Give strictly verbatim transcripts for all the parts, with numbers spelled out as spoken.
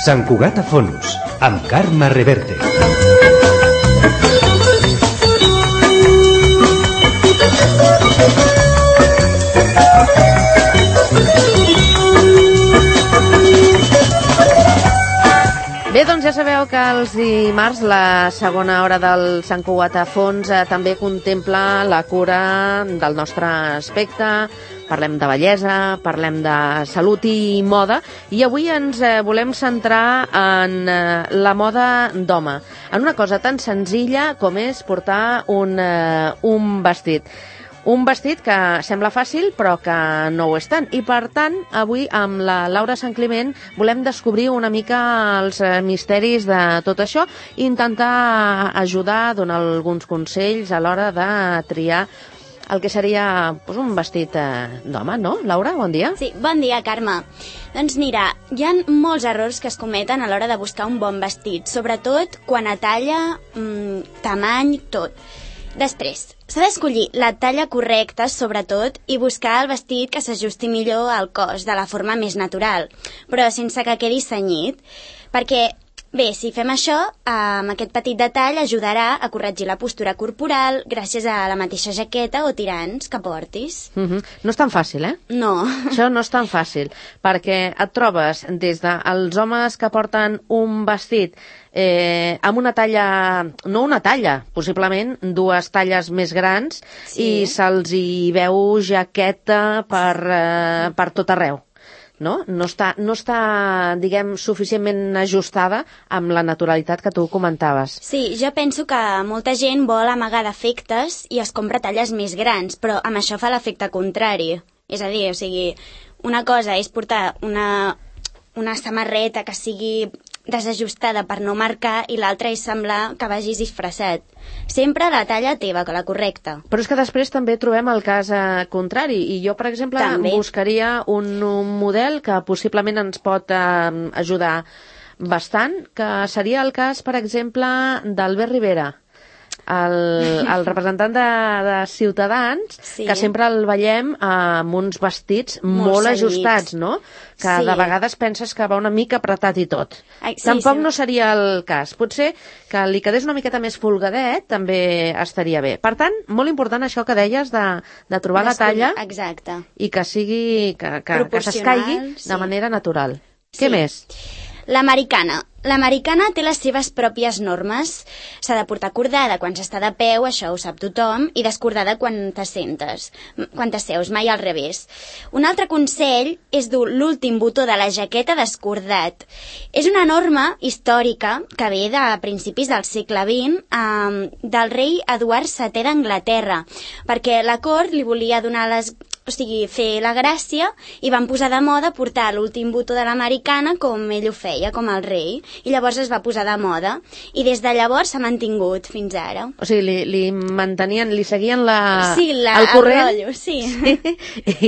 Sant Cugat a Fonos, amb Carme Reverte. Bé, doncs ja sabeu que els dimarts la segona hora del Sant Cugat a Fons eh, també contempla la cura del nostre aspecte. Parlem de bellesa, parlem de salut i moda, i avui ens eh, volem centrar en eh, la moda d'home, en una cosa tan senzilla com és portar un, eh, un vestit. Un vestit que sembla fàcil, però que no ho és tant. I, per tant, avui, amb la Laura Sant Climent, volem descobrir una mica els misteris de tot això i intentar ajudar, donar alguns consells a l'hora de triar el que seria doncs, un vestit eh, d'home, no? Laura, bon dia. Sí, bon dia, Carme. Doncs mira, hi ha molts errors que es cometen a l'hora de buscar un bon vestit, sobretot quan a talla, mmm, tamany, tot. Després, s'ha d'escollir la talla correcta, sobretot, i buscar el vestit que s'ajusti millor al cos, de la forma més natural, però sense que quedi cenyit, perquè, bé, si fem això, amb aquest petit detall ajudarà a corregir la postura corporal gràcies a la mateixa jaqueta o tirants que portis. Mm-hmm. No és tan fàcil, eh? No. Això no és tan fàcil, perquè et trobes des dels homes que porten un vestit Eh, amb una talla, no una talla, possiblement dues talles més grans, sí. I se'ls hi veu jaqueta per, eh, per tot arreu. No? No està, no està, diguem, suficientment ajustada amb la naturalitat que tu comentaves. Sí, jo penso que molta gent vol amagar defectes i es compra talles més grans, però amb això fa l'efecte contrari. És a dir, o sigui, una cosa és portar una, una samarreta que sigui desajustada per no marcar i l'altra és semblar que vagis disfressat. Sempre la talla teva, que la correcta. Però és que després també trobem el cas eh, contrari, i jo, per exemple, també buscaria un, un model que possiblement ens pot eh, ajudar bastant, que seria el cas, per exemple, d'Albert Rivera, el, el representant de, de Ciutadans, sí. Que sempre el veiem amb uns vestits molt, molt ajustats, no? Que sí. De vegades penses que va una mica apretat i tot. Ai, sí, Tampoc sí. No seria el cas. Potser que li quedés una miqueta més folgadet també estaria bé. Per tant, molt important això que deies de, de trobar la talla. Exacte. I que sigui que, que, que s'escaigui sí. De manera natural. Sí. Què més? L'americana. L'americana té les seves pròpies normes. S'ha de portar cordada quan s'està de peu, això ho sap tothom, i descordada quan t'assentes, quan t'asseus, mai al revés. Un altre consell és dur l'últim botó de la jaqueta descordat. És una norma històrica que ve de principis del segle vint eh, del rei Eduard setè d'Anglaterra, perquè la cort li volia donar les... o sigui, fer la gràcia, i van posar de moda portar l'últim botó de l'americana com ell ho feia, com el rei, i llavors es va posar de moda, i des de llavors s'ha mantingut fins ara. O sigui, li, li mantenien, li seguien la, sí, la, el corrent, el rotllo, sí. Sí.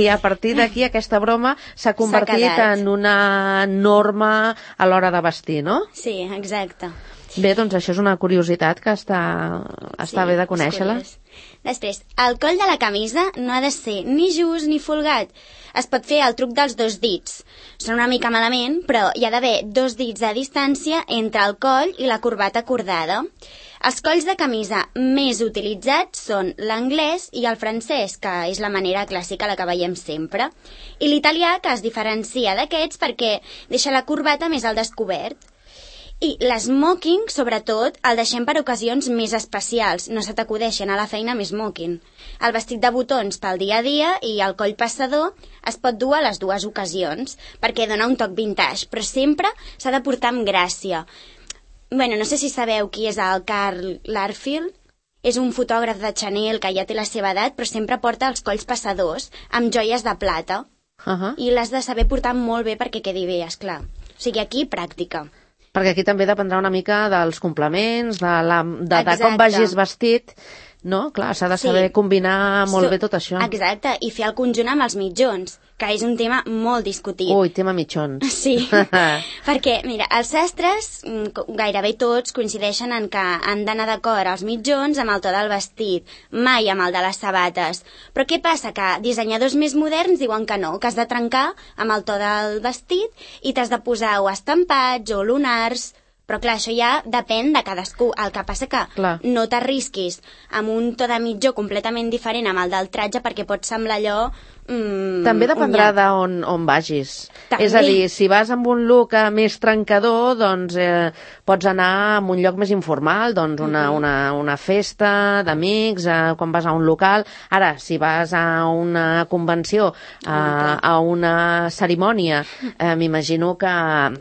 I a partir d'aquí aquesta broma s'ha convertit en una norma a l'hora de vestir, no? Sí, exacte. Bé, doncs això és una curiositat que està, està sí, bé de conèixer-la. Després, el coll de la camisa no ha de ser ni just ni folgat. Es pot fer el truc dels dos dits. Sona una mica malament, però hi ha d'haver dos dits de distància entre el coll i la corbata cordada. Els colls de camisa més utilitzats són l'anglès i el francès, que és la manera clàssica la que veiem sempre, i l'italià, que es diferencia d'aquests perquè deixa la corbata més al descobert. I l'esmoking, sobretot, el deixem per ocasions més especials. No se t'acudeixen a la feina més smoking. El vestit de botons pel dia a dia i el coll passador es pot dur a les dues ocasions, perquè dona un toc vintage, però sempre s'ha de portar amb gràcia. Bueno, no sé si sabeu qui és el Karl Lagerfeld. És un fotògraf de Chanel que ja té la seva edat, però sempre porta els colls passadors amb joies de plata. Uh-huh. I l'has de saber portar molt bé perquè quedi bé, esclar. O sigui, aquí, pràctica. Perquè aquí també dependrà una mica dels complements, de, la, de, de com vagis vestit, no? Clar, s'ha de saber Sí. combinar molt So- bé tot això. Exacte, i fer el conjunt amb els mitjons, que és un tema molt discutit. Ui, tema mitjons. Sí, perquè, mira, els sastres, mm, co- gairebé tots, coincideixen en que han d'anar d'acord els mitjons amb el to del vestit, mai amb el de les sabates. Però què passa? Que dissenyadors més moderns diuen que no, que has de trencar amb el to del vestit i t'has de posar o estampats o lunars. Però clar, això ja depèn de cadascú. El que passa que Clar. no t'arrisquis amb un to de mitjó completament diferent amb el del tratge perquè pot semblar allò... Mm, També dependrà un nyap. d'on on vagis. També. És a dir, si vas amb un look eh, més trencador, doncs eh, pots anar a un lloc més informal, doncs una, Mhm. una, una festa d'amics, eh, quan vas a un local. Ara, si vas a una convenció, a, clar. a una cerimònia, eh, m'imagino que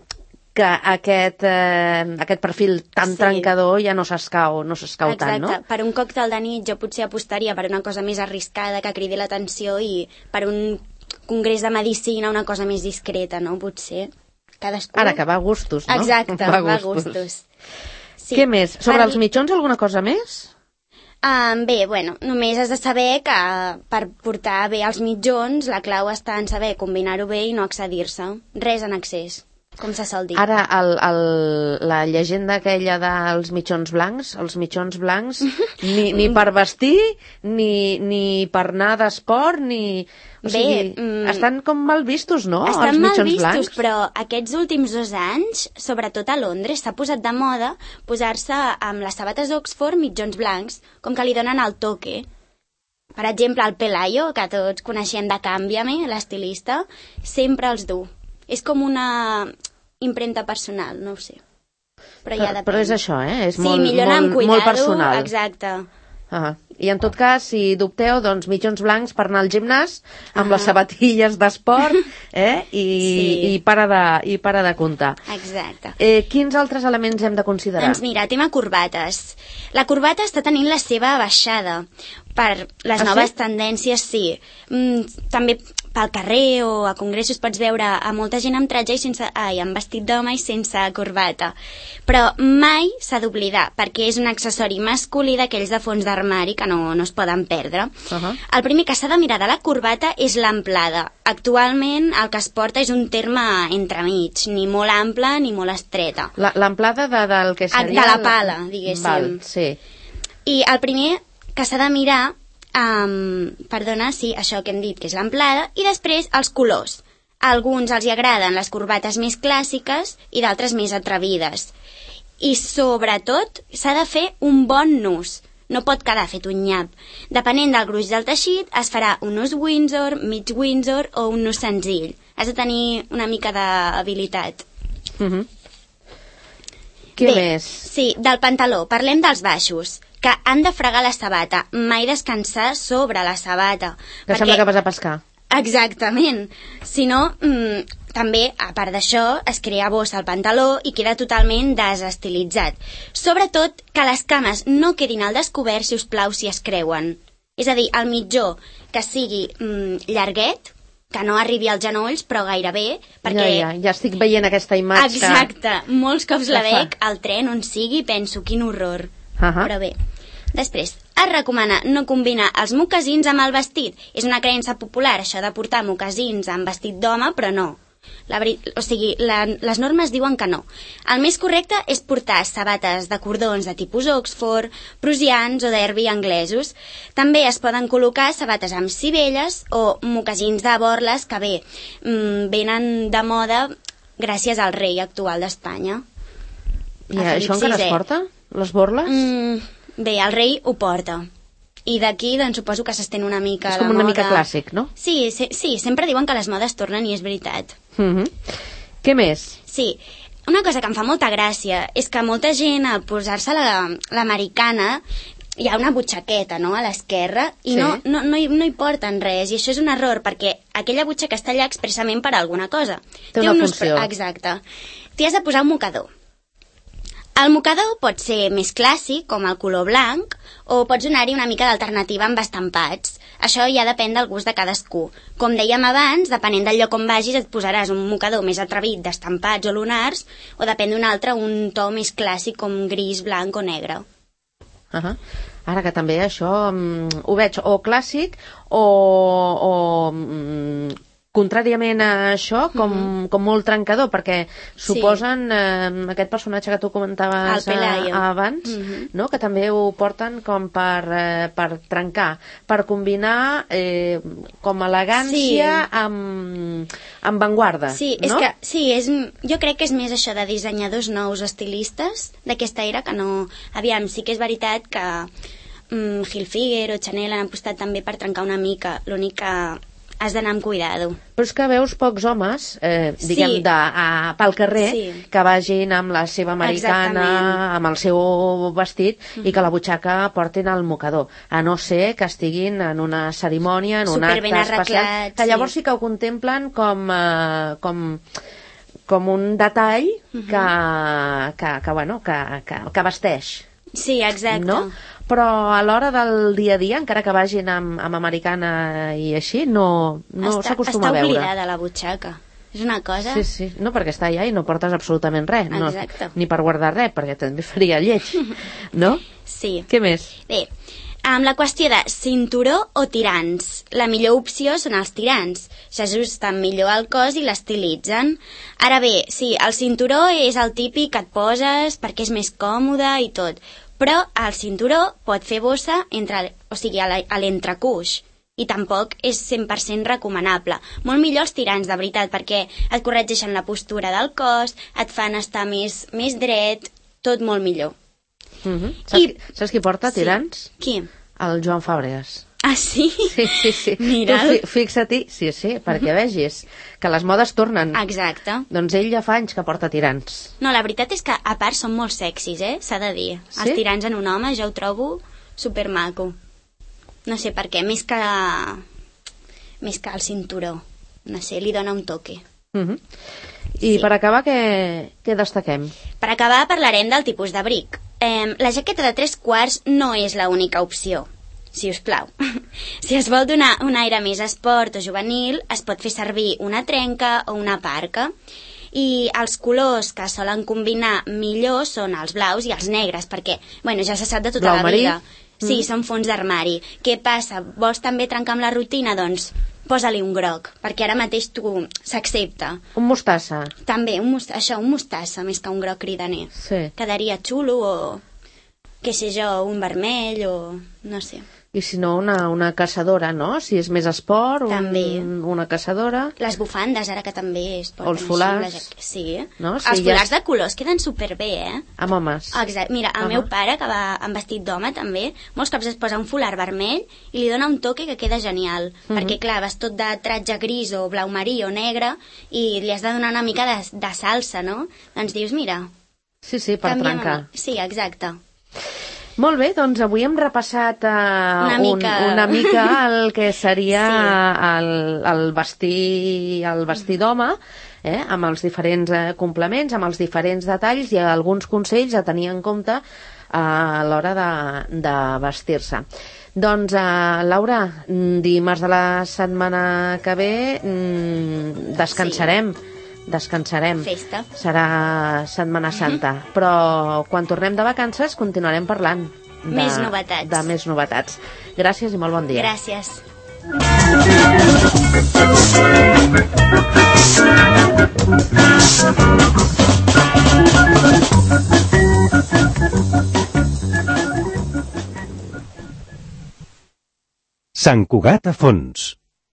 que aquest, eh, aquest perfil tan Sí. trencador ja no s'escau, no s'escau tant, no? Per un còctel de nit jo potser apostaria per una cosa més arriscada que cridi l'atenció i per un congrés de medicina una cosa més discreta, no? Potser. Cadascú... Ara, que va a gustos, no? Exacte, va a gustos. Sí. Què més? Sobre Per- els mitjons, alguna cosa més? Um, bé, bueno, només has de saber que per portar bé els mitjons la clau està en saber combinar-ho bé i no excedir-se. Res en excés, com se sol dir. Ara, el, el, la llegenda aquella dels mitjons blancs, els mitjons blancs, ni, ni per vestir, ni, ni per anar d'esport, ni... O Bé, sigui, mm, estan com mal vistos, no?, Estan els mal mitjons vistos, blancs. però aquests últims dos anys, sobretot a Londres, s'ha posat de moda posar-se amb les sabates d'Oxford mitjons blancs, com que li donen el toque. Per exemple, el Pelayo, que tots coneixem de Canviame, l'estilista, sempre els du. És com una impremta personal, no ho sé. Però, ja Però, depèn. però és això, eh? És Sí, molt, millor anar amb molt, molt cuidado, personal. exacte. Ah, I en tot cas, si dubteu, doncs mitjons blancs per anar al gimnàs, amb Ah. les sabatilles d'esport, eh? I, Sí. i, para de, i para de comptar. Exacte. Eh, quins altres elements hem de considerar? Doncs mira, tema corbates. La corbata està tenint la seva baixada. Per les Ah, noves sí? tendències, sí. Mm, també pel carrer o a congressos pots veure a molta gent amb tratge i sense, ai, amb vestit d'home i sense corbata. Però mai s'ha d'oblidar, perquè és un accessori masculí d'aquells de fons d'armari que no, no es poden perdre. Uh-huh. El primer que s'ha de mirar de la corbata és l'amplada. Actualment el que es porta és un terme entremig, ni molt ample ni molt estreta. La- L'amplada de, del que Ah, seria... de la el- pala, diguéssim. Val, sí. I el primer que s'ha de mirar, um, perdona, sí, això que hem dit, que és l'amplada, i després els colors. A alguns els hi agraden les corbates més clàssiques i d'altres més atrevides. I sobretot s'ha de fer un bon nus. No pot quedar fet un nyap. Depenent del gruix del teixit, es farà un nus Windsor, mig Windsor o un nus senzill. Has de tenir una mica d'habilitat. Uh -huh. Què Bé, més? Sí, del pantaló. Parlem dels baixos, que han de fregar la sabata, mai descansar sobre la sabata. Que sembla que vas a pescar. Exactament. Si no, mmm, també, a part d'això, es crea bossa al pantaló i queda totalment desestilitzat. Sobretot que les cames no quedin al descobert, si us plau, si es creuen. És a dir, el mitjó que sigui mmm, llarguet, que no arribi als genolls, però gairebé, perquè... Ja, ja, ja estic veient aquesta imatge. Exacte, molts cops la que fa. veig al tren on sigui i penso, quin horror. Ahà. Però bé, després, es recomana no combinar els mocassins amb el vestit. És una creença popular, això de portar mocassins amb vestit d'home, però no. La veri... O sigui, la... les normes diuen que no. El més correcte és portar sabates de cordons de tipus Oxford, prusians o derby anglesos. També es poden col·locar sabates amb sivelles o mocassins de borles que bé, mmm, venen de moda gràcies al rei actual d'Espanya. I a Felip això encara sisè. es porta? Les borles? Mm, bé, el rei ho porta. I d'aquí, doncs, suposo que s'estén una mica És la com una moda. mica clàssic, no? Sí, sí, sí, sempre diuen que les modes tornen i és veritat. Uh -huh. Què més? Sí, una cosa que em fa molta gràcia és que molta gent, al posar-se la- l'americana, hi ha una butxaqueta, no?, a l'esquerra, i Sí. no, no, no, hi, no hi porten res, i això és un error, perquè aquella butxaca està allà expressament per alguna cosa. Té una un ús funció. pr- Exacte. T'hi has de posar un mocador. El mocador pot ser més clàssic, com el color blanc, o pots donar-hi una mica d'alternativa amb estampats. Això ja depèn del gust de cadascú. Com dèiem abans, depenent del lloc on vagis, et posaràs un mocador més atrevit d'estampats o lunars, o depèn d'un altre, un to més clàssic com gris, blanc o negre. Uh -huh. Ara que també això um, ho veig o clàssic o, o um, contràriament a això, com, mm-hmm. com molt trencador, perquè suposen sí. eh, aquest personatge que tu comentaves a, abans, mm-hmm. no? Que també ho porten com per, eh, per trencar, per combinar eh, com elegància sí. amb, amb vanguarda. Sí, no? és que, sí és, jo crec que és més això de dissenyadors nous estilistes d'aquesta era, que no... Aviam, sí que és veritat que um, Hilfiger o Chanel han apostat també per trencar una mica, l'únic que has d'anar amb cuidado. Però és que veus pocs homes, eh, diguem, sí. de, a, pel carrer, sí. que vagin amb la seva americana, exactament. Amb el seu vestit, mm-hmm. i que la butxaca portin al mocador, a no ser que estiguin en una cerimònia, en un acte especial, que llavors sí. sí que ho contemplen com, eh, com, com un detall mm-hmm. que, que, que, bueno, que, que, que vesteix. Sí, exacte. No? Però a l'hora del dia a dia, encara que vagin amb, amb americana i així, no, no s'acostuma a veure. Està oblidada la butxaca. És una cosa... Sí, sí. No, perquè està allà i no portes absolutament res. No, ni per guardar res, perquè també faria lleig. No? Sí. Què més? Bé, amb la qüestió de cinturó o tirants. La millor opció són els tirants. S'ajusten millor al cos i l'estilitzen. Ara bé, sí, el cinturó és el típic que et poses perquè és més còmode i tot. Però el cinturó pot fer bossa entre, o sigui, a l'entrecuix, i tampoc és cent per cent recomanable. Molt millor els tirants, de veritat, perquè et corregeixen la postura del cos, et fan estar més, més dret, tot molt millor. Mm-hmm. Saps, I... qui, saps qui porta tirants? Sí. Qui? El Joan Fàbregas. Ah, sí? Sí, sí, sí. Mira. Tu fixa-t'hi, sí, sí, perquè vegis que les modes tornen. Exacte. Doncs ell ja fa anys que porta tirants. No, la veritat és que, a part, són molt sexis, eh? S'ha de dir. Sí? Els tirants en un home jo ho trobo supermaco. No sé per què, més que... més que el cinturó. No sé, li dona un toque. Uh-huh. I sí. Per acabar, què, què destaquem? Per acabar, parlarem del tipus d'abric. Eh, la jaqueta de tres quarts no és l'única opció, si us plau. Si es vol donar un aire més esport o juvenil, es pot fer servir una trenca o una parca. I els colors que solen combinar millor són els blaus i els negres, perquè, bueno, ja se sap de tota Blau la marí. vida. Sí, mm. són fons d'armari. Què passa? Vols també trencar amb la rutina? Doncs posa-li un groc, perquè ara mateix tu s'accepta. Un mostassa. També, un mostassa, això, un mostassa, més que un groc cridaner. Sí. Quedaria xulo, o, què sé jo, un vermell, o no sé. I si no, una, una caçadora, no? Si és més esport, també. Un, una caçadora. Les bufandes, ara que també es porten o els folars. Així, la... Sí. No? Sí, els folars ja... de colors queden superbé, eh? Amb homes. Exacte. Mira, el uh-huh. meu pare, que va amb vestit d'home, també, molts cops es posa un folar vermell i li dona un toque que queda genial. Uh-huh. Perquè, clar, vas tot de tratge gris o blau marí o negre i li has de donar una mica de, de salsa, no? Doncs dius, mira... Sí, sí, per trencar. Sí, exacte. Molt bé, doncs avui hem repassat uh, una, mica. Un, una mica el que seria sí. el, el vestir, el vestir d'home, eh, amb els diferents eh, complements, amb els diferents detalls i alguns consells a tenir en compte uh, a l'hora de, de vestir-se. Doncs, uh, Laura, dimarts de la setmana que ve mm, descansarem. Sí. Descansarem. Festa. Serà Setmana Santa. Mm-hmm. Però quan tornem de vacances continuarem parlant de, més novetats. de més novetats. Gràcies i molt bon dia. Gràcies. Sant Cugat a fons.